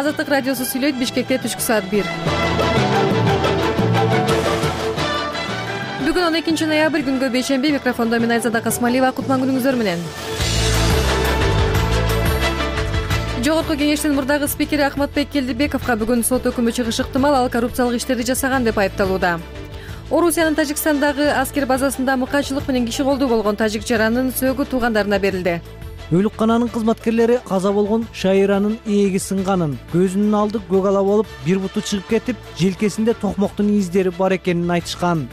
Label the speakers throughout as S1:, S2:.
S1: Азаттык радиосу сүйлөйт. Бишкекте түшкү саат 1. Бүгүн 12 ноябрь күнгө бейшемби. Микрофондо мен Айзада Касмалиева. Кутман күнүңүздөр менен. Жогорку кеңештин мурдагы спикери Ахматбек Келдибековго бүгүн сот өкүмү чыгышы ыктымал. Ал коррупциялык иштерди жасаган деп айыпталууда. Орусиянын Тажикстандагы аскер базасында мыкаачылык менен киши колдуу болгон тажик жаранын сөөгү туугандарына берилди.
S2: Өлүккананын кызматкерлери каза болгон Шайыранын ээги сынганын, көзүнүн алды көк ала болуп, бир буту чыгып кетип, желкесинде токмоктун издери бар экенин айтышкан.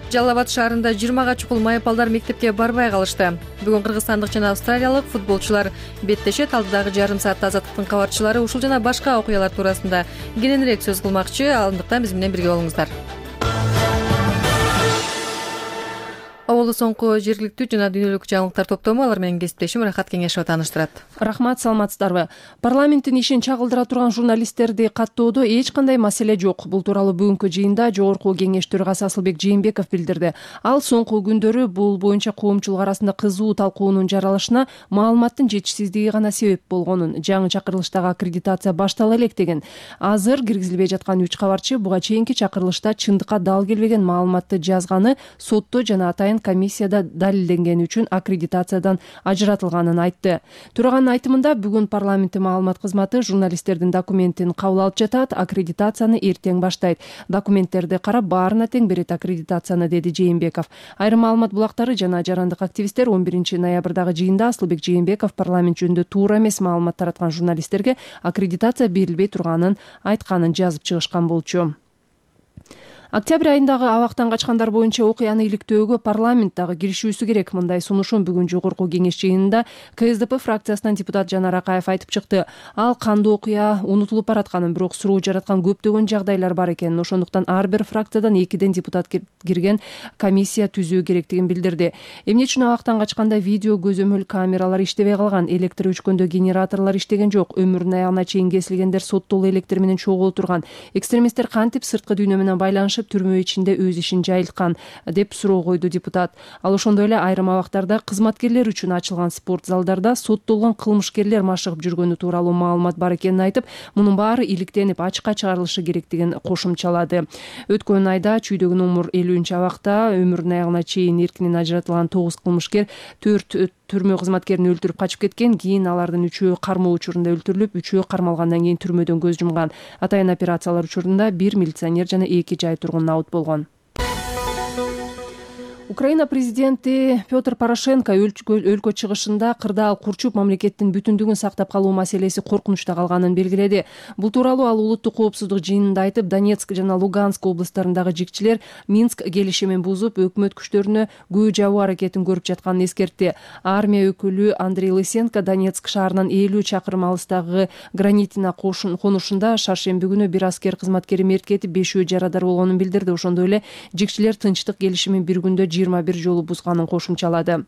S1: Жалал Абад шаарында 20 чукул майапалдар мектепке барбай калышты. Бүгүн кыргызстандык жана австралиялык футболчулар беттешет. Алдыдагы жарым саатта Азаттыктын кабарчылары ушул жана башка окуялар туурасында кененирээк сөз кылмакчы. Андыктан биз менен бирге болуңуздар. Абалы соңку жергиликтүү жана дүйнөлүк жаңылыктар топтому алар менен кесиптешим Рахат Кеңешова тааныштырат.
S3: Рахмат, саламатсыздарбы? Парламенттин ишин чагылдыра турган журналисттерди каттоодо эч кандай маселе жок. Бул тууралуу бүгүнкү жыйында Жогорку Кеңеш төрагасы Асылбек Жээнбеков билдирди. Ал соңку күндөрү бул боюнча коомчулук арасында кызуу талкуунун жаралышына маалыматтын жетишсиздиги гана себеп болгонун, жаңы чакырылыштагы аккредитация баштала элек деген. Азыр киргизилбей жаткан 3 кабарчы буга чейинки чакырылышта чындыкка дал келбеген маалыматты жазганы сотто жана атайын комиссияда далилденгени үчүн аккредитациядан ажыратылганын айтты. Төраганын айтымында бүгүн парламенттин маалымат кызматы журналисттердин документин кабыл алып жатат, аккредитацияны эртең баштайт. Документтерди карап баарына тең берет аккредитацияны, деди Жээнбеков. Айрым маалымат булактары жана жарандык активисттер 11 ноябрдагы жыйында Асылбек Жээнбеков парламент жөнүндө туура эмес маалымат тараткан журналисттерге аккредитация берилбей турганын айтканын жазып чыгышкан болчу. Октябрь айындагы абактан качкандар боюнча окуяны иликтөөгө парламент дагы киришүүсү керек. Мындай сунушун бүгүн Жогорку Кеңеш жыйынында КСДП фракциясынан депутат Жанар Акаев айтып чыкты. Ал кандуу окуя унутулуп баратканын, бирок суроо жараткан көптөгөн жагдайлар бар экенин, ошондуктан ар бир фракциядан 2 депутат кирген комиссия түзүү керектигин билдирди. Эмне үчүн абактан качканда видео көзөмөл камералар иштебей калган, электр өчкөндө генераторлор иштеген жок, өмүрүнүн аягына чейин кесилгендер соттолуу электр менен чогуу турган, экстремисттер кантип сырткы дүйнө менен байланышып түрмө ичинде өз ишин жайылткан деп суроо койду депутат. Ал ошондой эле айрым абактарда кызматкерлер үчүн ачылган спорт залдарда соттолгон кылмышкерлер машыгып жүргөнү тууралуу маалымат бар экенин айтып, мунун баары иликтенип ачыкка чыгарылышы керектигин кошумчалады. Өткөн айда чүйдөгү номер 50 абакта өмүрүнүн аягына чейин эркинен ажыратылган 9 кылмышкер 4 түрмө кызматкерин өлтүрүп качып кеткен. Кийин алардын 3-өө кармоо учурунда өлтүрүлүп, 3-өө кармалгандан кийин түрмөдөн көз жумган. Атайын операциялар учурунда 1 милиционер жана 2 жай тургун аут болгон. Украина президенти Петр Порошенко өлкө чыгышында кырдаал курчуп мамлекеттин бүтүндүгүн сактап калуу маселеси коркунучта калганын белгиледи. Бул тууралуу ал улуттук коопсуздук жыйынында айтып, Донецк жана Луганск облустарындагы жигчилер Минск келишимин бузуп, өкмөт күчтөрүнө күбө жабуу аракетин көрүп жатканын эскертти. Армия өкүлү Андрей Лысенко Донецк шаарынан 50 чакырым алыстагы Гранитина конушунда шаршемби күнү бир аскер кызматкери мерт кетип, 5-өө жарадар болгонун билдирди. Ошондой эле жигчилер тынчтык келишимин bir күндө 21 жолу бузганын кошумчалады.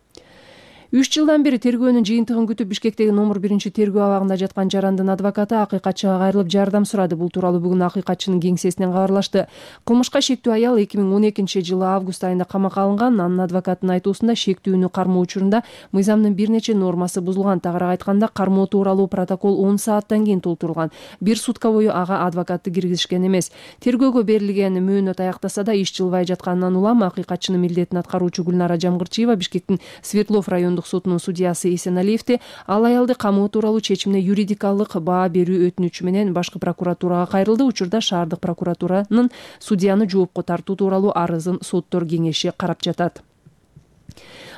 S3: 3 жылдан бери тергөөнүн жыйынтыгын күтүп Бишкектеги номер 1 тергөө абагында жаткан жарандын адвокаты акыйкатчыга кайрылып жардам сурады. Бул тууралуу бүгүн акыйкатчынын кеңсесинен кабарлашты. Кылмышка шектүү аял 2012 жылы август айында камакка алынган. Анын адвокатынын айтуусунда шектүүнү кармоо учурунда мыйзамдын бир нече нормасы бузулган. Тагыраак айтканда, кармоо тууралуу протокол 10 сааттан кийин толтурулган. Bir сутка бою ага адвокатты киргизишкен эмес. Тергөөгө берилген мөөнөт аяктаса да иш жылбай жатканынан улам акыйкатчынын милдетин аткаруучу Гүлнара Жамгырчиева Бишкектин Свердлов райондук сотунун судьясы Эсеналиевди ал аялды камоо тууралуу чечимине юридикалык баа берүү өтүнүчү менен башкы прокуратурага кайрылды. Учурда шаардык прокуратуранын судьяны жоопко тартуу тууралуу арызын соттор кеңеши карап жатат.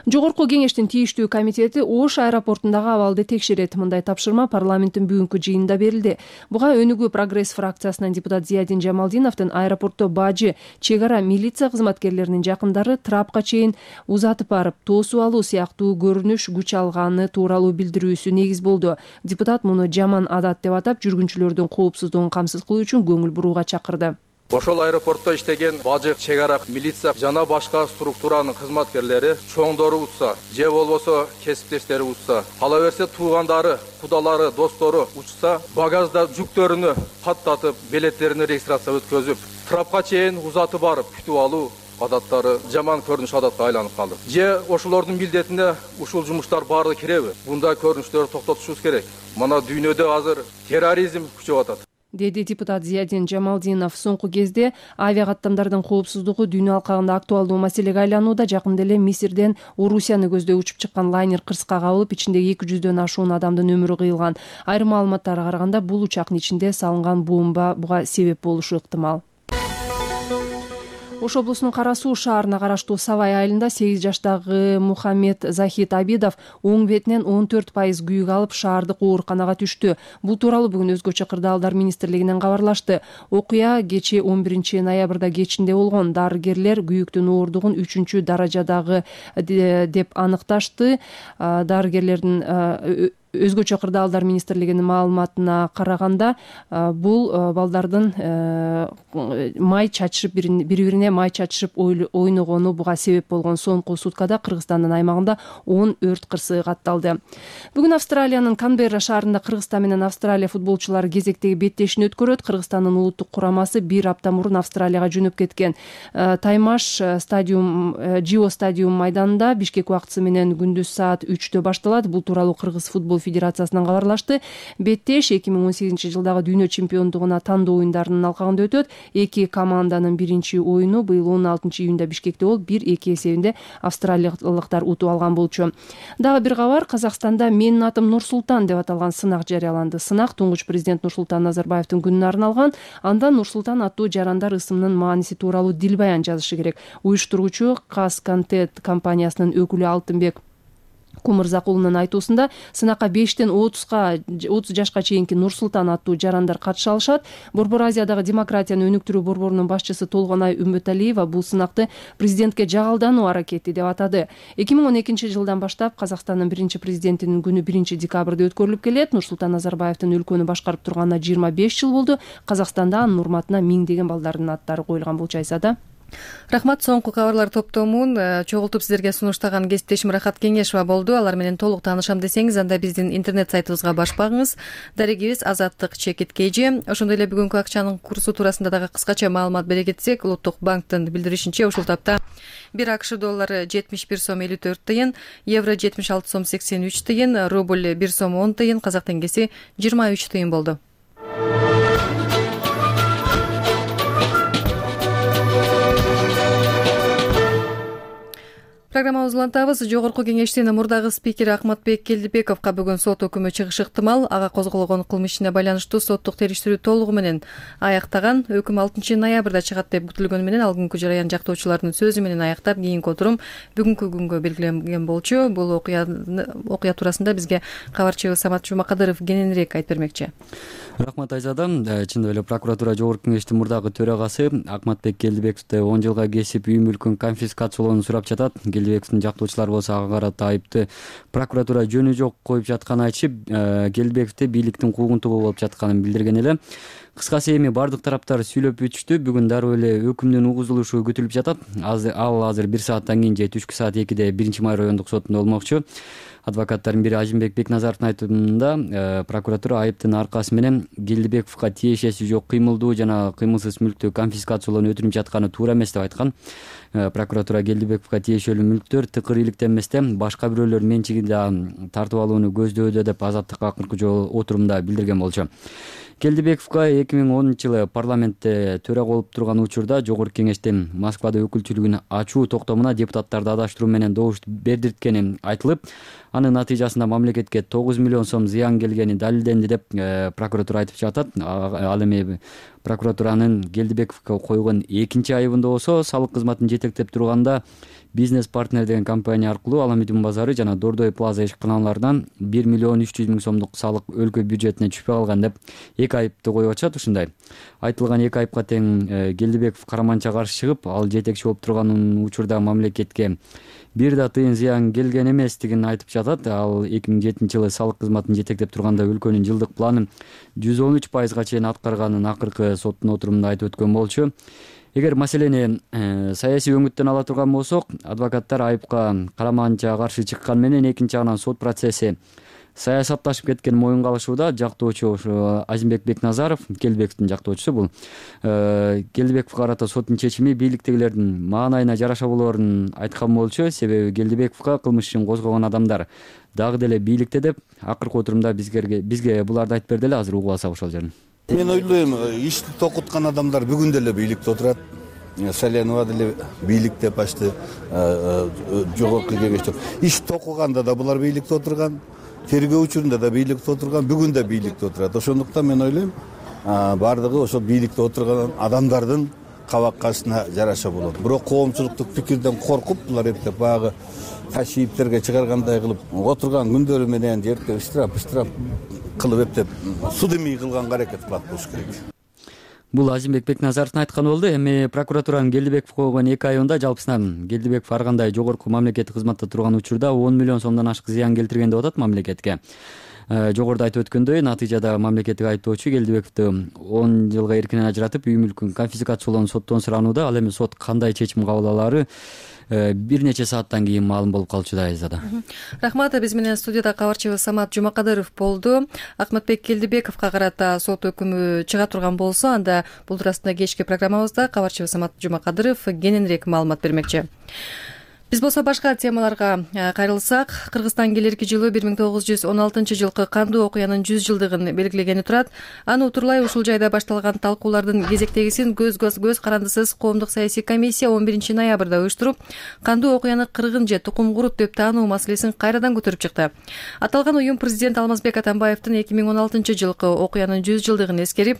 S3: Жогорку Кеңештин тийиштүү комитети Ош аэропортундагы абалды текшерет. Мындай тапшырма парламенттин бүгүнкү жыйынында берилди. Буга Өнүгүү прогресс фракциясынан депутат Зиядин Жамалдиновдун аэропортто бажы, чек ара, милиция кызматкерлеринин жакындары трапка чейин узатып барып, тоосуп алуу сыяктуу көрүнүш күч алганы тууралуу билдирүүсү негиз болду. Депутат муну жаман адат деп атап, жүргүнчүлөрдүн коопсуздугун камсыз кылуу үчүн көңүл бурууга чакырды.
S4: Ошол аэропортто иштеген бажык, чек ара, милиция жана башка структуранын кызматкерлери чоңдору утса, же болбосо кесиптештери утса, кала берсе туугандары, кудалары, достору учса, багажда жүктөрүнү каттатып, билеттерин регистрация өткөзүп, трапка чейин узатып барып күтүп алуу адаттары жаман көрүнүш адатка айланып калды. Же ошолордун милдетине ушул жумуштар баары киреби? Мындай көрүнүштөрдү токтотушубуз керек. Мына дүйнөдө азыр терроризм күчөп атат,
S3: деди депутат Зиядин Жамалдинов. Соңку кезде авиа каттамдардын коопсуздугу дүйнө алкагында актуалдуу маселеге айланууда. Жакында эле Мисирден Орусияны көздөй учуп чыккан лайнер кырсыкка кабылып, ичинде 200дөн ашуун адамдын өмүрү кыйылган. Айрым маалыматтарга караганда бул учактын ичинде салынган бомба буга себеп болушу ыктымал. Ош облусунун Кара Суу шаарына караштуу Савай айылында 8 жаштагы Мухаммед Захид Абидов оң бетинен 14% күйүк алып шаардык ооруканага түштү. Бул тууралуу бүгүн Өзгөчө кырдаалдар министрлигинен кабарлашты. Окуя кечээ 11 ноябрда кечинде болгон. Дарыгерлер күйүктүн ооругун 3 даражадагы деп аныкташты. Дарыгерлердин Өзгөчө кырдаалдар министрлигинин маалыматына караганда бул балдардын май чачышып бири-бирине май чачышып ойногону буга себеп болгон. Соңку суткада Кыргызстандын аймагында 10 өрт кырсыгы катталды. Бүгүн Австралиянын Канберра шаарында Кыргызстан менен Австралия футболчулары кезектеги беттешин өткөрөт. Кыргызстандын улуттук курамасы 1 апта мурун Австралияга жөнөп кеткен. Таймаш стадиум Жио стадиум майданында Бишкек убактысы менен күндүз саат 3-тө башталат. Бул тууралуу Кыргыз футбол федерациясынан кабарлашты. Беттеш 2018-жылдагы дүйнө чемпиондугуна тандоо оюндарынын алкагында өтөт. Эки команданын биринчи оюну быйыл 16-июнда Бишкекте болуп, 1-2 эсебинде австралиялыктар утуп алган болчу. Дагы бир кабар, Казакстанда "Менин атым Нурсултан" деп аталган сынак жарыяланды. Сынак туңгуч президент Нурсултан Назарбаевдин күнүнө арналган. Анда Нурсултан аттуу жарандар ысымынын мааниси тууралуу дилбаян жазышы керек. Уюштургучу Казконтент компаниясынын өкүлү Алтынбек Кумурзакулунун айтуусунда сынакка 5тен 30 жашка чейинки Нурсултан аттуу жарандар катыша алышат. Борбор Азиядагы демократияны өнүктүрүү борборунун башчысы Толгонай Үмбөталиева бул сынакты президентке жагалдануу аракети деп атады. 2012-жылдан баштап Казакстандын биринчи президентинин күнү 1-декабрда өткөрүлүп келет. Нурсултан Назарбаевдин өлкөнү башкарып турганына 25 жыл болду. Казакстанда анын урматына миңдеген балдардын аттары коюлган болчу. Айсада.
S1: Рахмат. Соңку кабарлар топтомун чогултуп сиздерге сунуштаган кесиптешим Рахат Кеңешова болду. Алар менен толук таанышам десеңиз, анда биздин интернет сайтыбызга баш багыңыз. Дарегибиз Азаттык-KG. Ошондой эле бүгүнкү акчанын курсу туурасында дагы кыскача маалымат бере кетсек, Улуттук банктын билдиришинче ушул тапта 1 АКШ доллары 71 сом 54 тыйын, евро 76 сом 83 тыйын, рубль 1 сом 10 тыйын, казак теңгеси 23 тыйын болду. Программабызды улантабыз. Жогорку кеңештин мурдагы спикери Акматбек Келдибековго бүгүн сот өкүмү чыгышы ыктымал. Ага козголгон кылмыш ишине байланыштуу соттук териштирүү толугу менен аяктаган. Өкүм 6 ноябрда чыгат деп күтүлгөнү менен ал күнкү жараян жактоочулардын сөзү менен аяктап, кийинки отурум бүгүнкү күнгө белгиленген болчу. Бул окуя туурасында бизге кабарчыбыз Самат Жумакадыров кененирээк айтып бермекчи.
S5: Рахмат Айзада. Чындап эле прокуратура жогорку кеңештин мурдагы төрагасы Акматбек Келдибековду 10 жылга кесип үй мүлкүн конфискациялоону сурап жатат. Келдибековдун жактоочулары болсо ага карата айыпты прокуратура жөнү жок коюп жатканын айтышып, Келдибековду бийликтин куугунтугу болуп жатканын билдирген эле. Кыскасы эми бардык тараптар сүйлөп бүтүштү. Бүгүн дароо эле өкүмдүн угузулушу күтүлүп жатат. Ал азыр 1 сааттан кийин же түшкү саат 2-де 1-май райондук сотунда болмокчу. Адвокаттардын бири Ажимбек Бекназаровдун айтымында прокуратура айыптын аркасы менен Келдибековго тиешеси жок кыймылдуу жана кыймылсыз мүлктү конфискациялоону өтүнүп жатканы туура эмес деп айткан. Прокуратура Келдибековго тиешелүү мүлктөр тыкыр иликтенместен башка бирөөлөр менчигинде тартып алууну көздөдө деп Азаттыкка акыркы жолу отурумда билдирген болчу. Келдибековго 2010-жылы парламентте төрага болуп турган учурда жогорку кеңештин Москвада өкүлчүлүгүн ачуу токтомуна депутаттарды адаштыруу менен добуш бердирткени айтылып, анын натыйжасында мамлекетке 9 миллион сом зыян келгени далилденди деп прокуратура айтып жатат. Ал эми прокуратуранын Келдибековго койгон экинчи айыбында болсо салык кызматын жетектеп турганда Бизнес партнер деген компания аркылуу Аламедин базары жана Дордой плаза ишканаларынан 1 миллион 300 миң сомдук салык өлкө бюджетине түшпөй калган деп эки айыпты коюп атышат. Ушундай айтылган эки айыпка тең Келдибеков караманча каршы чыгып, ал жетекчи болуп турган учурда мамлекетке бир да тыйын зыян келген эместигин айтып жатат. Ал 2007-жылы салык кызматын жетектеп турганда өлкөнүн жылдык планын 113%га чейин аткарганын акыркы соттун отурумунда айтып өткөн болчу. Эгер маселени саясий өңүттөн ала турган болсок, адвокаттар айыпка караманча каршы чыккан менен экинчи жагынан сот процесси саясатташып кеткен моюнга алышууда жактоочу ошо Азимбек Бекназаров, Келдибековдун жактоочусу бул. Келдибековго карата соттун чечими бийликтегилердин маанайына жараша болоорун айткан болчу. Себеби Келдибековго кылмыш ишин козгогон адамдар дагы деле бийликте деп акыркы отурумда бизге буларды айтып берди эле. Азыр угуп алсак ошол жерин.
S6: Мен ойлойм, ишти токуткан адамдар бүгүн деле бийликте отурат. Салянова деле бийликте почти жогорку кеңеште. Иш токуганда да булар бийликте отурган, тергөө учурунда да бийликте отурган, бүгүн да бийликте отурат. Ошондуктан мен ойлойм, бардыгы ошо бийликте отурган адамдардын кабаккасына жараша болот. Бирок коомчулуктук пикирден коркуп, булар эптеп баягы ташийиптерге чыгаргандай кылып отурган күндөрү менен жерге штраф кылып эптеп судемий кылганга аракет кылат болуш керек.
S5: Бул Азимбек Бекназаровдун айтканы болду. Эми прокуратуранын Келдибеков койгон 2 айында жалпысынан Келдибеков ар кандай жогорку мамлекеттик кызматта турган учурда 10 миллион сомдон ашык зыян келтирген деп атат мамлекетке. Жогоруда айтып өткөндөй, натыйжада мамлекеттик айыптоочу Келдибековду 10 жылга эркинен ажыратып, үй мүлкүн конфискациялоону соттон суранууда. Ал эми сот кандай чечим кабыл алаары бир нече сааттан кийин маалым болуп калчу да Айзада.
S1: Рахмат. Биз менен студияда кабарчыбыз Самат Жумакадыров болду. Акматбек Келдибековго карата сот өкүмү чыга турган болсо, анда бул туурасында кечки программабызда кабарчыбыз Самат Жумакадыров кененирээк маалымат бермекчи. Биз болсо башка темаларга кайрылсак, Кыргызстан келерки жылы 1916-жылкы кандуу окуянын 100 жылдыгын белгилегени турат. Аны утурлай ушул жайда башталган талкуулардын кезектегисин көз карандысыз коомдук саясий комиссия 11 ноябрда уюштуруп, кандуу окуяны кыргын же тукум курут деп таануу маселесин кайрадан көтөрүп чыкты. Аталган уюм президент Алмазбек Атамбаевдин 2016-жылкы окуянын 100 жылдыгын эскерип,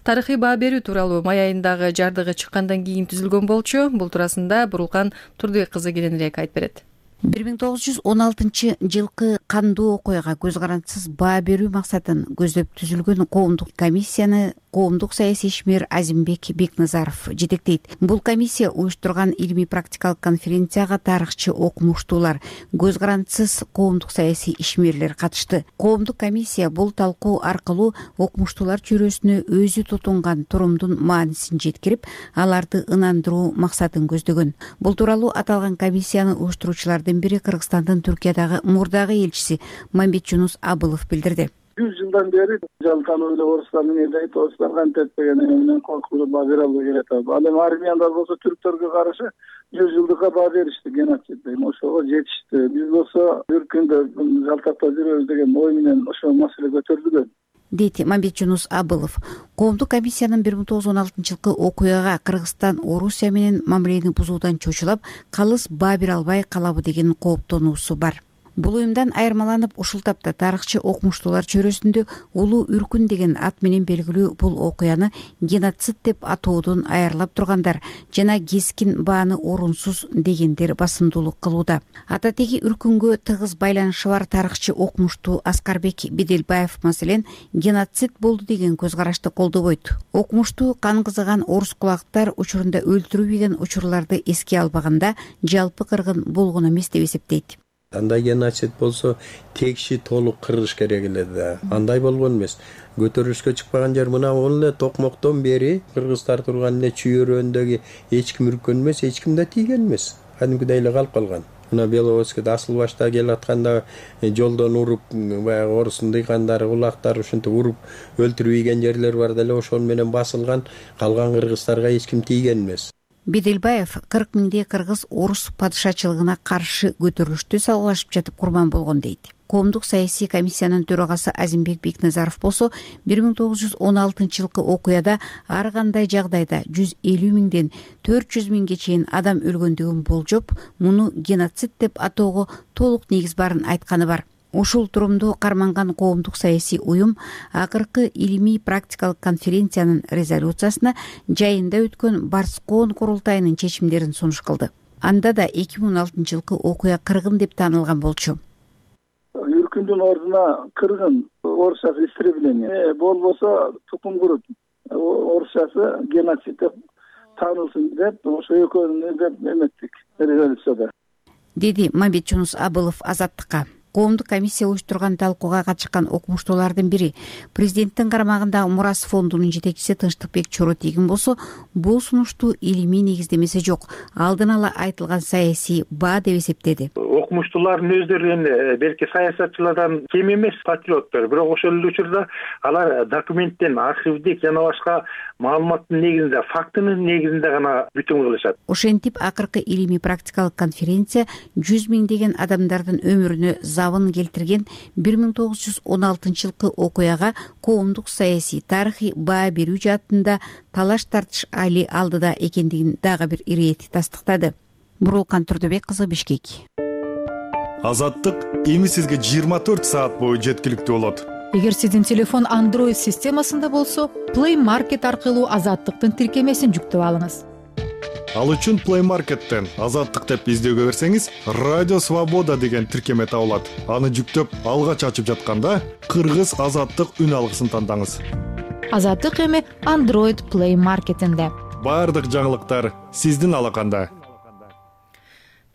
S1: тарыхый баа берүү тууралуу май айындагы жардыгы чыккандан кийин түзүлгөн болчу. Бул туурасында Бурулкан Турдубек кызы айтып берет.
S7: 1916-жылкы кандуу окуяга көз карандысыз баа берүү максатын көздөп түзүлгөн коомдук комиссияны коомдук саясий ишмер Азимбек Бекназаров жетектейт. Бул комиссия уюштурган илимий практикалык конференцияга тарыхчы окумуштуулар, көз карандысыз коомдук саясий ишмерлер катышты. Коомдук комиссия бул талкуу аркылуу окумуштуулар чөйрөсүнө өзү тутунган турумдун маанисин жеткирип, аларды ынандыруу максатын көздөгөн. Бул тууралуу аталган комиссияны уюштуруучулардын бири Кыргызстандын Түркиядагы мурдагы элчиси Мамбетжунус Абылов билдирди.
S8: 100 жылдан бери жалтануу эле орустар эмне дейт, орустар кантет деген менен коркуп баа бере албай келет. Ал эми армияндар болсо түрктөргө каршы 100 жылдыкка баа беришти, геноцид дейм, ошого жетишти. Биз болсо бир күндө жалтактап жүрөбүз деген ой менен ошол маселе көтөрүлгөн,
S7: дейт Мамбетжунус Абылов. Коомдук комиссиянын 1916-жылкы окуяга Кыргызстан Орусия менен мамилени бузуудан чочулап, калыс баа бере албай калабы деген кооптонуусу бар. Бул уюмдан айырмаланып, ушул тапта тарыхчы окумуштуулар чөйрөсүндө Улуу Үркүн деген ат менен белгилүү бул окуяны геноцид деп атоодон айырылап тургандар жана кескин бааны орунсуз дегендер басымдуулук кылууда. Ататеги Үркүнгө тыгыз байланышы бар тарыхчы окумуштуу Аскарбек Беделбаев маселен геноцид болду деген көз карашты колдобойт. Окумуштуу кан кызыган орус кулактар учурунда өлтүрүлбөгөн учурларды эске албаганда жалпы кыргын болгон эмес деп эсептейт.
S9: Андай геноцид болсо текши толук кыргыш керек эле да. Андай болгон эмес. Көтөрүлүшкө чыкпаган жер мына эле токмоктон бери кыргыздар турган эле чүйөрөөндөгү эч ким үрккөн эмес, эч ким да тийген эмес. Кадимкидей эле калып калган. Мына Беловодскийде асыл башта келатканда жолдон уруп, баягы орустун дыйкандары, кулактары ушинтип уруп өлтүрүп ийген жерлер бар деле, ошол менен басылган. Калган кыргыздарга эч ким тийген эмес.
S7: Беделбаев 40 миңдей кыргыз орус падышачылыгына каршы көтөрүлүштү салгылашып жатып курман болгон дейт. Коомдук саясий комиссиянын төрагасы Азимбек Бекназаров болсо 1916-жылкы окуяда ар кандай жагдайда 150 миңден 400 миңге чейин адам өлгөндүгүн болжоп, муну геноцид деп атоого толук негиз барын айтканы бар. Ушул турумду карманган коомдук саясий уюм акыркы илимий практикалык конференциянын резолюциясына жайында өткөн Барскоон курултайынын чечимдерин сунуш кылды. Анда да 2016-жылкы окуя кыргын деп таанылган болчу.
S8: Үркүндүн ордуна кыргын, орусчасы истребление, болбосо тукум курут, орусчасы геноцид деп таанылсын деп ошо экөөнү деп эметтик резолюцияда,
S7: деди Мамбетжунус Абылов Азаттыкка. коомдук комиссия уюштурган талкууга катышкан окумуштуулардын бири президенттин карамагындагы Мурас фондунун жетекчиси Тынчтыкбек Чоротегин болсо бул сунушту илимий негиздемеси жок, алдын ала айтылган саясий баа деп эсептеди.
S10: Окумуштуулардын өздөрү эми белки саясатчылардан кем эмес патриоттор, бирок ошол эле учурда алар документтен, архивдик жана башка маалыматтын негизинде, фактынын негизинде гана бүтүн кылышат.
S7: Ошентип акыркы илимий практикалык конференция 100 миңдеген адамдардын өмүрүнө забын келтирген 1916-жылкы окуяга коомдук саясий тарыхый баа берүү жаатында талаш тартыш али алдыда экендигин дагы бир ирээти тастыктады. Бурулкан Турдубек кызы, Бишкек.
S11: Азаттык эми сизге 24 саат бою жеткиликтүү болот.
S12: Эгер сиздин телефон Android системасында болсо, Play Market аркылуу Азаттыктын тиркемесин жүктөп алыңыз.
S11: Ал үчүн Play Market'тен Азаттык деп издөөгө берсеңиз, Радио Свобода деген тиркеме табылат. Аны жүктөп, алгач ачып жатканда кыргыз Азаттык үн алгысын тандаңыз.
S12: Азаттык эми Android Play Market'инде.
S11: Бардык жаңылыктар сиздин алаканда.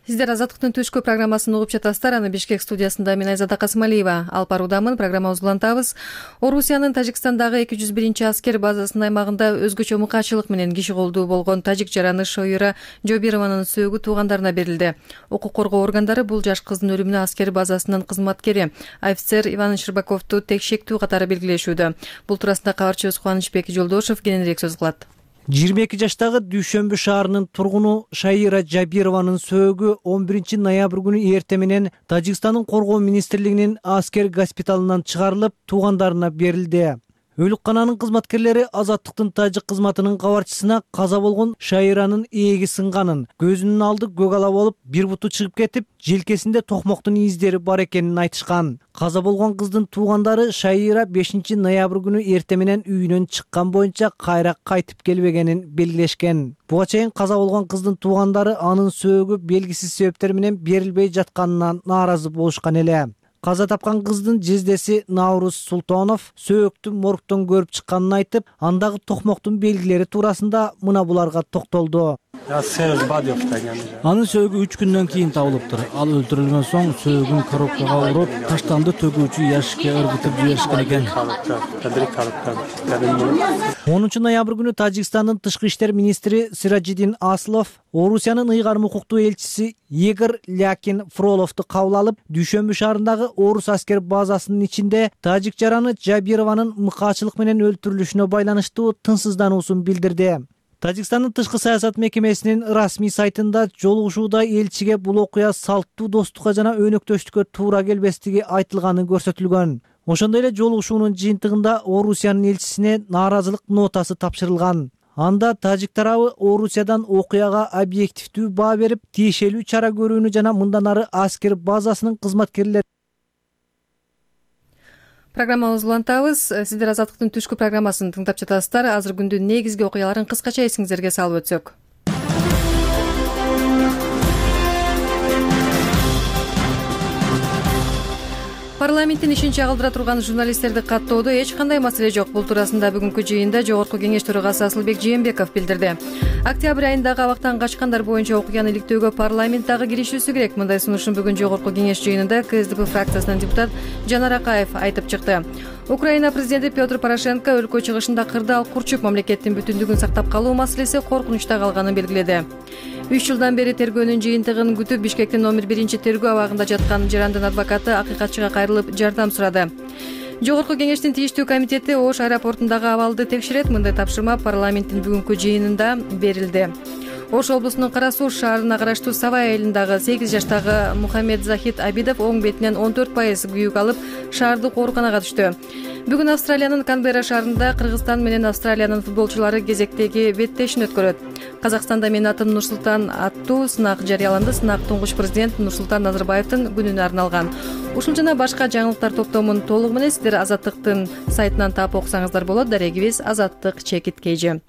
S1: Сиздер Азаттыктын түшкү программасын угуп жатасыздар. Аны Бишкек студиясында мен Айзада Касымалиева алып баруудамын. Программабызды улантабыз. Орусиянын Тажикстандагы 201 аскер базасынын аймагында өзгөчө мыкаачылык менен киши колдуу болгон тажик жараны Шойура Жобированын сөөгү туугандарына берилди. Укук коргоо органдары бул жаш кыздын өлүмүнө аскер базасынын кызматкери офицер Иван Щербаковду текшектүү катары белгилешүүдө. Бул туурасында кабарчыбыз Кубанычбек Жолдошев кененирээк сөз кылат.
S2: 22 жаштагы Дүйшөмбү шаарынын тургуну Шайира Жабированын сөөгү 11 ноябрь күнү эртең менен Тажикстандын коргоо министрлигинин аскер госпиталынан чыгарылып, туугандарына берилди. Өлүккананын кызматкерлери Азаттыктын тажик кызматынын кабарчысына каза болгон Шайиранын ээги сынганын, көзүнүн алды көк ала болуп, бир буту чыгып кетип, желкесинде токмоктун издери бар экенин айтышкан. Каза болгон кыздын туугандары Шайира 5 ноябрь күнү эртең менен үйүнөн чыккан боюнча кайра кайтып келбегенин белгилешкен. Буга чейин каза болгон кыздын туугандары анын сөөгү белгисиз себептер менен берилбей жатканынан нааразы болушкан эле. Каза тапкан кыздын жездеси Наурuz Султонов сөөктү моргтон көрүп чыкканын айтып, андагы токмоктун белгилери туурасында мына буларга токтолду.
S13: Анын сөөгү 3 күндөн кийин табылыптыр. Ал өлтүрүлгөн соң сөөгүн коробкага уруп, таштанды төгүүчү яшикке ыргытып жиберишкен экен.
S2: 10 ноябрь күнү Тажикстандын тышкы иштер министри Сиражиддин Аслов Орусиянын ыйгарым укуктуу элчиси Игорь Лякин Фроловду кабыл алып, Дүйшөмбү шаарындагы орус аскер базасынын ичинде тажик жараны Жабированын мыкаачылык менен өлтүрүлүшүнө байланыштуу тынчсыздануусун билдирди. Тажикстандын тышкы саясат мекемесинин расмий сайтында жолугушууда элчиге бул окуя салттуу достукка жана өнөктөштүккө туура келбестиги айтылганы көрсөтүлгөн. Ошондой эле жолугушуунун жыйынтыгында Орусиянын элчисине нааразылык нотасы тапшырылган. Анда тажик тарабы Орусиядан окуяга объективдүү баа берип, тиешелүү чара көрүүнү жана мындан ары аскер базасынын кызматкерлери.
S1: Программабызды улантабыз. Сиздер Азаттыктын түшкү программасын тыңдап жатасыздар. Азыр күндүн негизги окуяларын кыскача эсиңизерге салып өтсөк. Парламенттин ишин чагылдыра турган журналисттерди каттоодо эч кандай маселе жок. Бул туурасында бүгүнкү жыйында Жогорку кеңеш төрагасы Асылбек Жээнбеков билдирди. Октябрь айындагы абактан качкандар боюнча окуяны иликтөөгө парламент дагы киришүүсү керек. Мындай сунушун бүгүн Жогорку кеңеш жыйынында КСДП фракциясынын депутат Жанар Акаев айтып чыкты. Украина президенти Петр Порошенко өлкө чыгышында кырдаал курчуп мамлекеттин бүтүндүгүн сактап калуу маселеси коркунучта калганын белгиледи. 3 жылдан бери тергөөнүн жыйынтыгын күтүп Бишкектин номер 1 тергөө абагында жаткан жарандын адвокаты акыйкатчыга кайрылып жардам сурады. Жогорку кеңештин тийиштүү комитети Ош аэропортундагы абалды текшерет. Мындай тапшырма парламенттин бүгүнкү жыйынында берилди. Ош облусунун Кара Суу шаарына караштуу Савай айылындагы 8 жаштагы Мухаммед Захид Абидов оң бетинен 14% күйүк алып, шаардык ооруканага түштү. Бүгүн Австралиянын Канберра шаарында Кыргызстан менен Австралиянын футболчулары кезектеги беттешин өткөрөт. Казакстанда Менин атым Нурсултан аттуу сынак жарыяланды. Сынак туңгуч президент Нурсултан Назарбаевдин күнүнө арналган. Ушул жана башка жаңылыктар топтомун толугу менен сиздер Азаттыктын сайтынан таап окусаңыздар болот. Дарегибиз Азаттык _KG.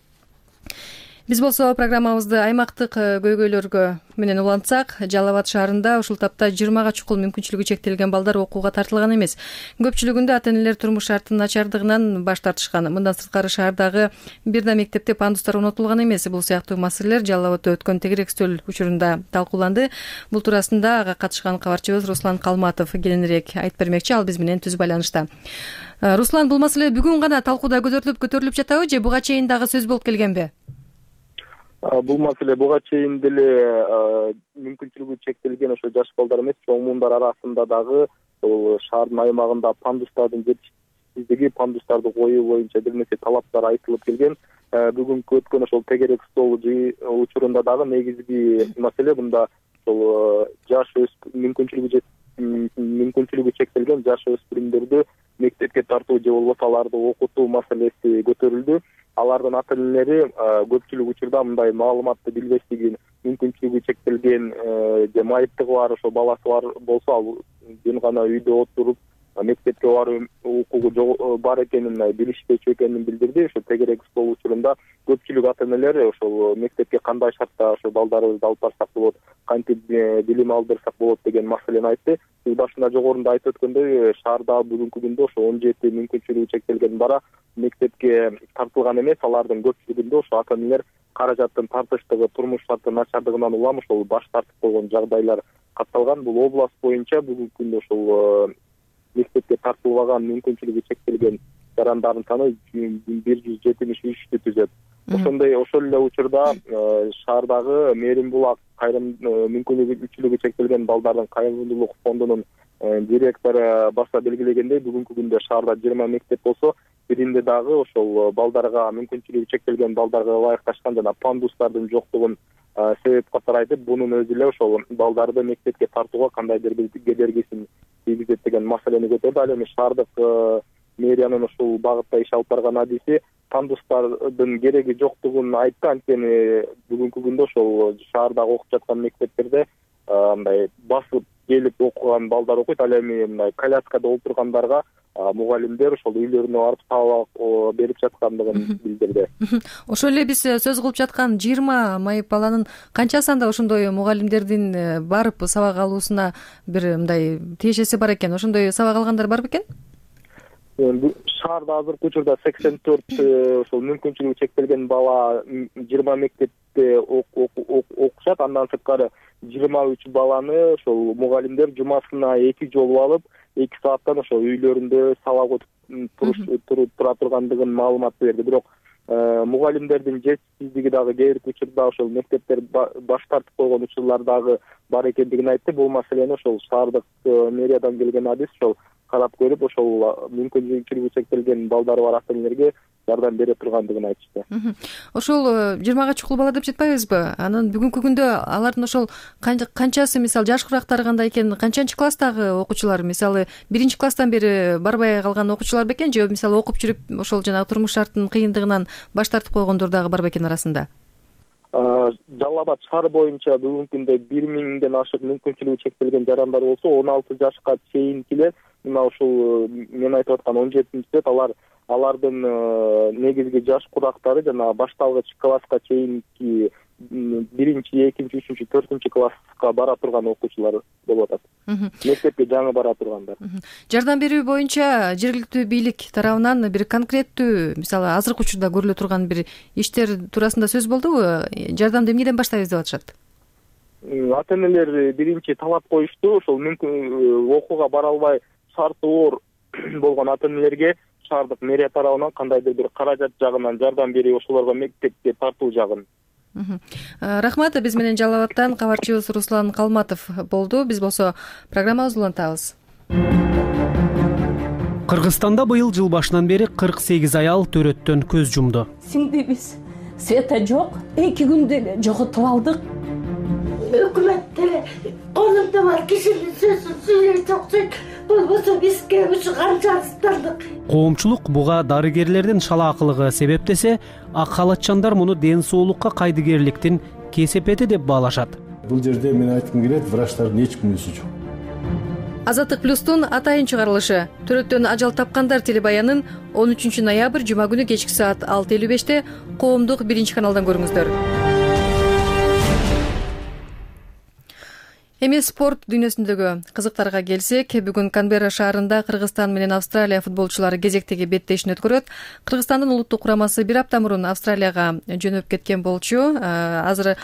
S1: Биз болсо программабызды аймактык көйгөйлөргө менен улантсак, Жалал Абад шаарында ушул тапта 20га чукул мүмкүнчүлүгү чектелген балдар окууга тартылган эмес. Көпчүлүгүндө ата-энелер турмуш шарттын начардыгынан баш тартышкан. Мындан сырткары шаардагы бир да мектепте пандустар орнотулган эмес. Бул сыяктуу маселелер Жалал Абадда өткөн тегерек стөл учурунда талкууланды. Бул туурасында ага катышкан кабарчыбыз Руслан Калматов кененирээк айтып бермекчи. Ал биз менен түз байланышта. Руслан, бул маселе бүгүн гана талкууда көтөрүлүп жатабы же буга чейин дагы сөз болуп келгенби?
S14: Бул маселе буга чейин деле мүмкүнчүлүгү чектелген ошо жаш балдар эмес, чоң муундар арасында дагы шаардын аймагында пандустардын жетишсиздиги, пандустарды коюу боюнча бир нече талаптар айтылып келген. Бүгүнкү өткөн ошол тегерек стол учурунда дагы негизги маселе мында ошол жаш мүмкүнчүлүгү чектелген жаш өспүрүмдөрдү мектепке тартуу же болбосо аларды окутуу маселеси көтөрүлдү. Алардын ата-энелери көпчүлүк учурда мындай маалыматты билбестиги, мүмкүнчүлүгү чектелген же майыптыгы бар ошо баласы бар болсо, ал жөн гана үйдө отуруп мектепке баруу укугу бар экенин билишпечү экенин билдирди. Ошо тегерек стол учурунда көпчүлүк ата-энелер ошол мектепке кандай шартта ошо балдарыбызды алып барсак болот, кантип билим алдырсак болот деген маселени айтты. Сиз башында жогоруда айтып өткөндөй, шаарда бүгүнкү күндө ошо 17 мүмкүнчүлүгү чектелген бала мектепке тартылган эмес. Алардын көпчүлүгүндө ошо ата-энелер каражаттын тартыштыгы, турмуш шарттын начардыгынан улам ошол баш тартып койгон жагдайлар катталган. Бул область боюнча бүгүнкү күндө ошол мектепке тартылбаган мүмкүнчүлүгү чектелген жарандардын саны 173 түзөт. Ошол эле учурда шаардагы Мээрим Булак мүмкүнчүлүгү чектелген балдардын кайрымдуулук фондунун директору баса белгилегендей, бүгүнкү күндө шаарда 20 мектеп болсо, биринде дагы ошол балдарга, мүмкүнчүлүгү чектелген балдарга ылайыкташкан жана пандустардын жоктугун себеп катары айтып, бунун өзү эле ошол балдарды мектепке тартууга кандайдыр бир кедергисин тийгизет деген маселени көтөрдү. Ал эми шаардык мэриянын ушул багытта иш алып барган адиси пандустардын кереги жоктугун айтты. Анткени бүгүнкү күндө ошол шаардагы окуп жаткан мектептерде мындай басып келип окуган балдар окуйт. Ал эми мындай коляскада олтургандарга мугалимдер ошол үйлөрүнө барып сабак берип жаткандыгын билдирди.
S1: Ошол эле биз сөз кылып жаткан 20 майып баланын канча санда ошондой мугалимдердин барып сабак алуусуна бир мындай тиешеси бар экен? Ошондой сабак алгандар бар бекен?
S14: Шаарда азыркы учурда 84 ошол мүмкүнчүлүгү чектелген бала 20 мектепте окушат. Андан сырткары 23 баланы ошол мугалимдер жумасына 2 жолу алып, 2 сааттан ошол үйлөрүндө сабак өтүп тура тургандыгын маалымат берди. Бирок мугалимдердин жетишсиздиги дагы кээ бир учурда ошол мектептер баш тартып койгон учурлар дагы бар экендигин айтты. Бул маселени ошол шаардык мэриядан келген адис ошол карап көрүп, ошол мүмкүнчүлүгү чектелген балдары бар ата-энелерге жардам бере тургандыгын айтышты.
S1: Ошол 20га чукул бала деп жетпайбызбы? Анан бүгүнкү күндө алардын ошол канчасы, мисалы жашкырактары кандай экен, канчанчы класстагы окуучулар, мисалы 1-класстан бери барбай калган окуучулар бекен же мисалы окуп жүрүп ошол жанагы турмуш шарттын кыйындыгынан баш тартып койгондор дагы бар бекен арасында?
S14: Жалал Абад шаары боюнча бүгүнкү күндө 1000ден ашык мүмкүнчүлүгү чектелген жарандар болсо, 16 жашка чейинкилер, мына ушул мен айтып аткан 17 алардын негизги жаш курактары жана башталгыч класска чейинки 1-2, 3, 4 класска бара турган окуучулар болуп атат. Мектепке жаңы бара тургандар.
S1: Жардам берүү боюнча жергиликтүү бийлик тарабынан бир конкреттүү, мисалы азыркы учурда көрүлө турган бир иштер туурасында сөз болдубу? Жардамды эмнеден баштайбыз деп атышат?
S14: Ата-энелер биринчи талап коюшту. Ошол мүмкүн окууга бара албай шарты оор болгон ата-энелерге шаардык мэрия тарабынан кандайдыр бир каражат жагынан жардам берип, ошолорго мектепке тартуу жагын.
S1: Рахмат. Биз менен Жалал Абадтан кабарчыбыз Руслан Калматов болду. Биз болсо программабызды улантабыз.
S15: Кыргызстанда быйыл жыл башынан бери 48 аял төрөттөн көз жумду.
S16: Сиңдибиз света жок, 2 күндө эле жоготуп алдык. Өкмөттөр колунда бар кишинин сөзүн сүйлөп чоксойт. Болбосо бизге ушу канча арыздандык.
S15: Коомчулук буга дарыгерлердин шалаакылыгы себептесе, ак халатчандар муну ден соолукка кайдыгерликтин кесепети деп баалашат.
S17: Бул жерде мен айткым келет, врачтардын эч кимиси жок.
S1: Азаттык плюстун атайын чыгарылышы төрөттөн ажал тапкандар телебаянын 13 ноябрь жума күнү кечки саат 6:55 коомдук 1 каналдан көрүңүздөр. Эми спорт дүйнөсүндөгү кызыктарга келсек, бүгүн Канберра шаарында Кыргызстан менен Австралия футболчулары кезектеги беттешин өткөрөт. Кыргызстандын улуттук курамасы бир апта мурун Австралияга жөнөп кеткен болчу. Азыр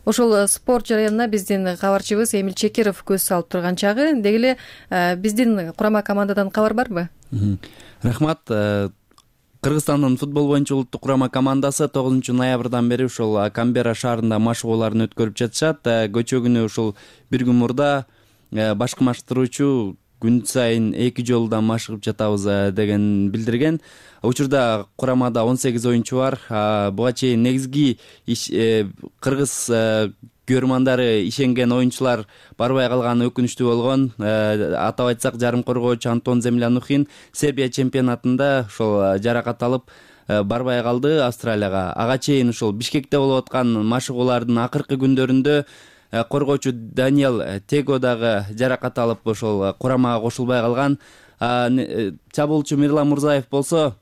S1: ошол спорт жарыянына биздин кабарчыбыз Эмил Чекеров көз салып турган чагы. Деги эле биздин курама командадан кабар барбы?
S17: Рахмат. Кыргызстандын футбол боюнча улуттук курама командасы 9 ноябрдан бери ушул Канберра шаарында машыгууларын өткөрүп жатышат. Көчөгүнү ушул бир күн мурда башкымаштыруучу күн сайын 2 жолудан машыгып жатабыз деген билдирген. Учурда курамада 18 оюнчу бар. Буга чейин негизги кыргыз көрмандары ишенген оюнчулар барбай калганы өкүнүчтүү болгон. Атап айтсак, жарым коргоочу Антон Землянухин Сербия чемпионатында ошол жаракат алып барбай калды Австралияга. Ага чейин ушул Бишкекте болуп аткан машыгуулардын акыркы күндөрүндө коргоочу Даниэл Tego дагы жаракат алып ошол курамага кошулбай калган. Чабуулчу Мирлан Мурзаев болсо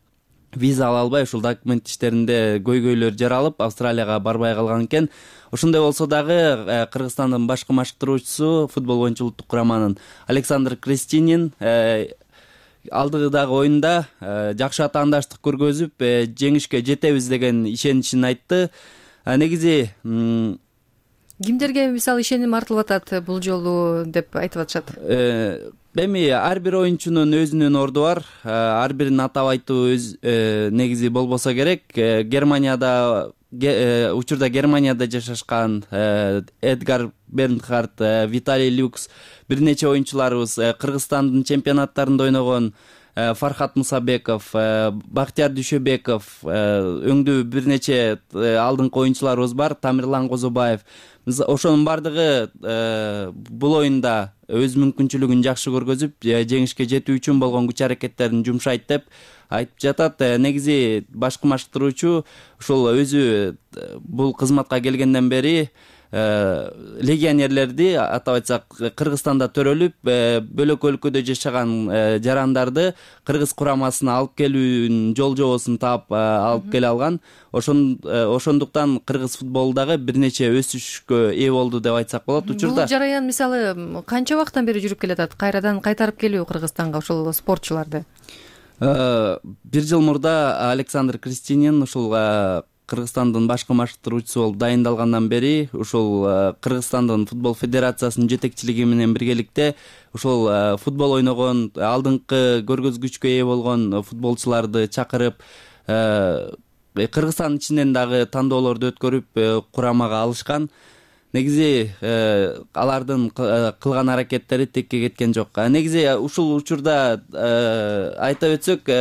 S17: виза ала албай ушул документ иштеринде көйгөйлөр жаралып Австралияга барбай калган экен. Ошондой болсо дагы Кыргызстандын башкы машыктыруучусу футбол боюнча улуттук кураманын Александр Крестинин алдыдагы оюнда жакшы атаандаштык көргөзүп, жеңишке жетебиз деген ишеничин айтты. Негизи
S1: кимдерге мисалы ишеним артылып атат бул жолу деп айтып атышат?
S17: Эми ар бир оюнчунун өзүнүн орду бар. Ар бирин атап айтуу негизи болбосо керек. Германияда учурда Германияда жашашкан Эдгар Бернхард, Виталий Люкс, бир нече оюнчуларыбыз, Кыргызстандын чемпионаттарында ойногон Фархат Мусабеков, Бактияр Дүйшөбеков, өңдүү бир нече алдыңкы оюнчуларыбыз бар, Тамирлан Козобаев. Ошонун бардыгы бул оюнда өз мүмкүнчүлүгүн жакшы көргөзүп, жеңишке жетүү үчүн болгон күч аракеттерин жумшайт деп айтып жатат. Негизи башкы машыктыруучу ушул өзү бул кызматка келгенден бери легионерлерди, атап айтсак, Кыргызстанда төрөлүп, бөлөк өлкөдө жашаган жарандарды кыргыз курамасына алып келүүнүн жол жобосун таап алып келе алган. Ошондуктан кыргыз футболу дагы бир нече өсүшкө ээ болду деп айтсак болот. Учурда
S1: бул жараян мисалы канча убакыттан бери жүрүп келатат? Кайрадан кайтарып келүү Кыргызстанга ошол спортчуларды?
S17: Бир жыл мурда Александр Крестинин ушул Кыргызстандын башкы машыктыруучусу болуп дайындалгандан бери ушул Кыргызстандын футбол федерациясынын жетекчилиги менен биргеликте ушул футбол ойногон, алдыңкы көргөзгүчкө ээ болгон футболчуларды чакырып, Кыргызстан ичинен дагы тандоолорду өткөрүп курамага алышкан. Негизи алардын кылган аракеттери текке кеткен жок. Негизи ушул учурда айтып өтсөк,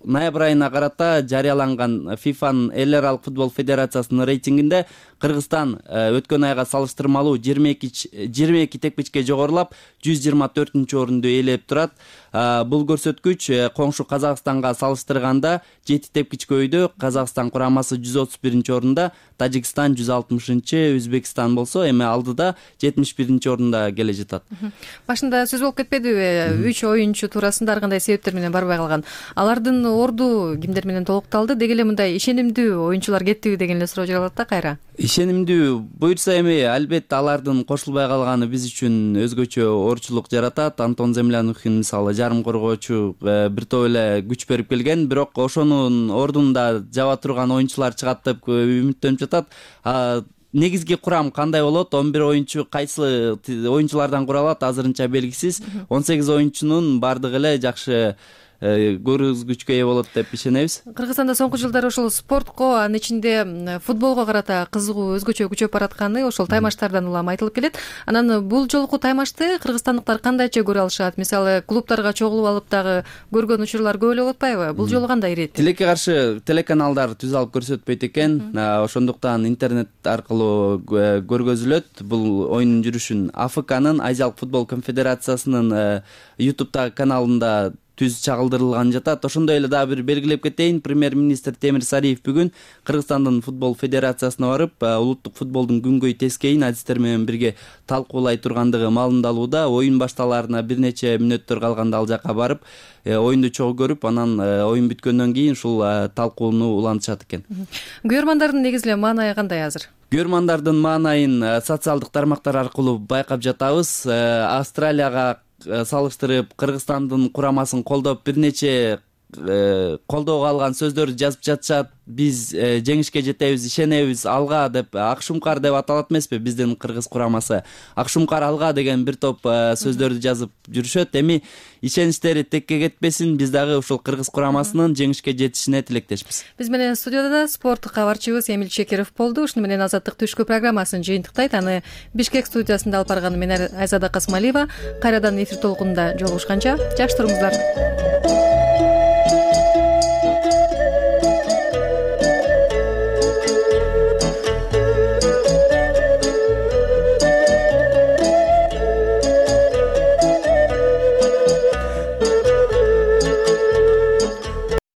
S17: ноябрь айына карата жарыяланган ФИФАнын эл аралык футбол федерациясынын рейтингинде Кыргызстан өткөн айга салыштырмалуу 22 тепкичке жогорулап 124-орунду ээлеп турат. Бул көрсөткүч коңшу Казакстанга салыштырганда 7 тепкич көйдө. Казакстан курамасы 131-орунда, Тажикстан 160-чы, Өзбекстан болсо эми алдыда 71-орунда келе жатат.
S1: Башында сөз болуп кетпедиби? 3 оюнчу туурасында ар кандай себептер менен барбай калган. Алардын орду кимдер менен толукталды? Деги эле мындай ишенимдүү оюнчулар кеттиби деген эле суроо жаралат да кайра.
S17: Ишенимдүү буюрса эми албетте алардын кошулбай калганы биз үчүн өзгөчө оорчулук жаратат. Антон Землянухин мисалы жарым коргоочу бир топ эле күч берип келген, бирок ошонун ордунда жаба турган оюнчулар чыгат деп үмүттөнүп жатат. Негизги курам кандай болот? 11 оюнчу кайсы оюнчулардан куралат азырынча белгисиз. 18 оюнчунун бардыгы эле жакшы көргөзгүчкө ээ болот деп ишенебиз.
S1: Кыргызстанда соңку жылдары ошол спортко, анын ичинде футболго карата кызыгуу өзгөчө күчөп баратканы ошол таймаштардан улам айтылып келет. Анан бул жолку таймашты кыргызстандыктар кандайча көрө алышат? Мисалы, клубтарга чогулуп алып дагы көргөн учурлар көп эле болуп атпайбы? Бул жолу кандай ирет?
S17: Тилекке каршы телеканалдар түз алып көрсөтпөйт экен. Ошондуктан интернет аркылуу көргөзүлөт. Бул оюндун жүрүшүн АФКнын, Азиялык футбол конфедерациясынын YouTube'дагы каналында түз чагылдырылган жатат. Ошондой эле дагы бир белгилеп кетейин, премьер-министр Темир Сариев бүгүн Кыргызстандын футбол федерациясына барып, улуттук футболдун күнгөй тескейин адистер менен бирге талкуулай тургандыгы маалымдалууда. Оюн башталаарына бир нече мүнөттөр калганда ал жака барып, оюнду чогуу көрүп, анан оюн бүткөндөн кийин ушул талкууну улантышат экен.
S1: Күйөрмандардын негизи эле маанайы кандай азыр?
S17: Күйөрмандардын маанайын социалдык тармактар аркылуу байкап жатабыз. Австралияга салыштырып Кыргызстандын курамасын колдоп бир нече колдоого алган сөздөрдү жазып жатышат. Биз жеңишке жетебиз, ишенебиз, алга деп, Акшумкар деп аталат эмеспи биздин кыргыз курамасы. Акшумкар алга деген бир топ сөздөрдү жазып жүрүшөт. Эми ишеничтери текке кетпесин, биз дагы ушул кыргыз курамасынын жеңишке жетишине тилектешпиз.
S1: Биз менен студияда спорттук кабарчыбыз Эмил Чекеров болду. Ушуну менен Азаттык түшкү программасын жыйынтыктайт. Аны Бишкек студиясында алып барганы мен Айзада Касмалиева. Кайрадан эфир толкунунда жолугушканча жакшы туруңуздар.